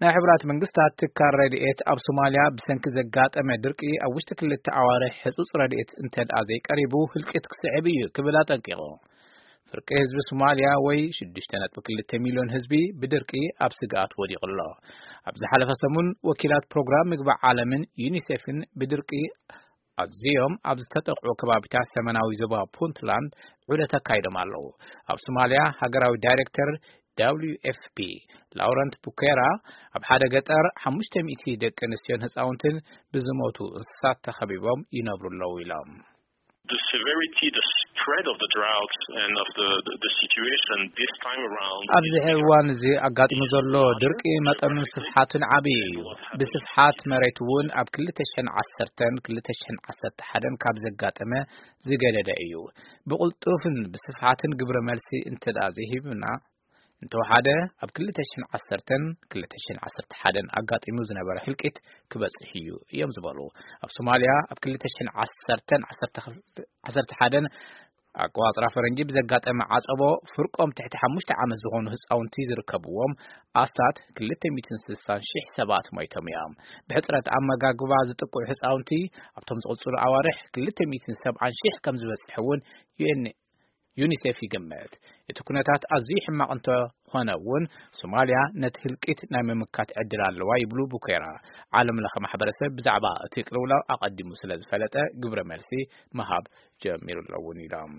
ናይ ሕቡራት መንግስታት ትካል ረድኤት ኣብ ሶማልያ ብሰንኪ ዘጋጠመ ድርቂ ኣብ ውሽጢ ክልተ ኣዋርሕ ህጹጽ ረድኤት እንተድኣ ዘይቀሪቡ ህልቂት ክስዕብ እዩ ክብል ኣጠንቂቑ። ፍርቂ ህዝቢ ሶማልያ ወይ ሽዱሽተ ነጥቢ ክልተ ሚልዮን ህዝቢ ብድርቂ ኣብ ስግኣት ወዲቑ ኣሎ። ኣብ ዝሓለፈ ሰሙን ወኪላት ፕሮግራም ምግቢ ዓለምን ዩኒሴፍን ብድርቂ ኣዝዮም ኣብ ዝተጠቕዑ ከባቢታት ሰሜናዊ ዞባ ፑንትላንድ ዑደት ኣካይዶም ኣለዉ። ኣብ ሶማልያ ሃገራዊ ዳይሬክተር ደብሊው ኤፍ ፒ ላውረንት ቡኬራ ኣብ ሓደ ገጠር ሓሙሽተ ሚእቲ ደቂ ኣንስትዮን ህፃውንትን ብዝሞቱ እንስሳት ተኸቢቦም ይነብሩ ኣለዉ ኢሎም። The severity, the spread of the drought and of the, the, the situation this time around ኣብዚ ሕዚ እዋን እዚ ኣጋጢሙ ዘሎ ድርቂ መጠኑን ስፍሓቱን ዓብዪ እዩ። ብስፍሓት መሬት እውን ኣብ ክልተ ሽሕን ዓሰርተን ክልተ ሽሕን ዓሰርተ ሓደን ካብ ዘጋጠመ ዝገደደ እዩ። ብቕልጡፍን ብስፍሓትን ግብረ መልሲ እንተዳ ዘይሂብና እንተወሓደ ኣብ ክልተ ሽሕን ዓሰርተን ክልተ ሽሕን ዓሰርተ ሓደን ኣጋጢሙ ዝነበረ ህልቂት ክበጽሕ እዩ እዮም ዝበሉ። ኣብ ሶማልያ ኣብ ክልተ ሽሕን ዓሰርተን ዓሰርተ ሓደን ኣቆጻጽራ ፈረንጂ ብዘጋጠመ ዓጸቦ ፍርቆም ትሕቲ ሓሙሽተ ዓመት ዝኾኑ ህጻውንቲ ዝርከብዎም ኣስታት ክልተ ሚእትን ስሳን ሽሕ ሰባት ሞይቶም እዮም። ብሕጽረት ኣመጋግባ ዝጥቅዑ ህጻውንቲ ኣብቶም ዝቕጽሉ ኣዋርሕ ክልተ ሚእትን ሰብዓን ሽሕ ከም ዝበጽሕ እውን ዩኤን ዩኒሴፍ ይግምት። እቲ ኩነታት ኣዝዩ ሕማቕ እንተኾነ እውን ሶማልያ ነቲ ህልቂት ናይ ምምካት ዕድል ኣለዋ ይብሉ ቡኬራ። ዓለም ለኸ ማሕበረሰብ ብዛዕባ እቲ ቅልውላው ኣቐዲሙ ስለ ዝፈለጠ ግብረ መልሲ ምሃብ ጀሚሩ ኣለውን ኢሎም።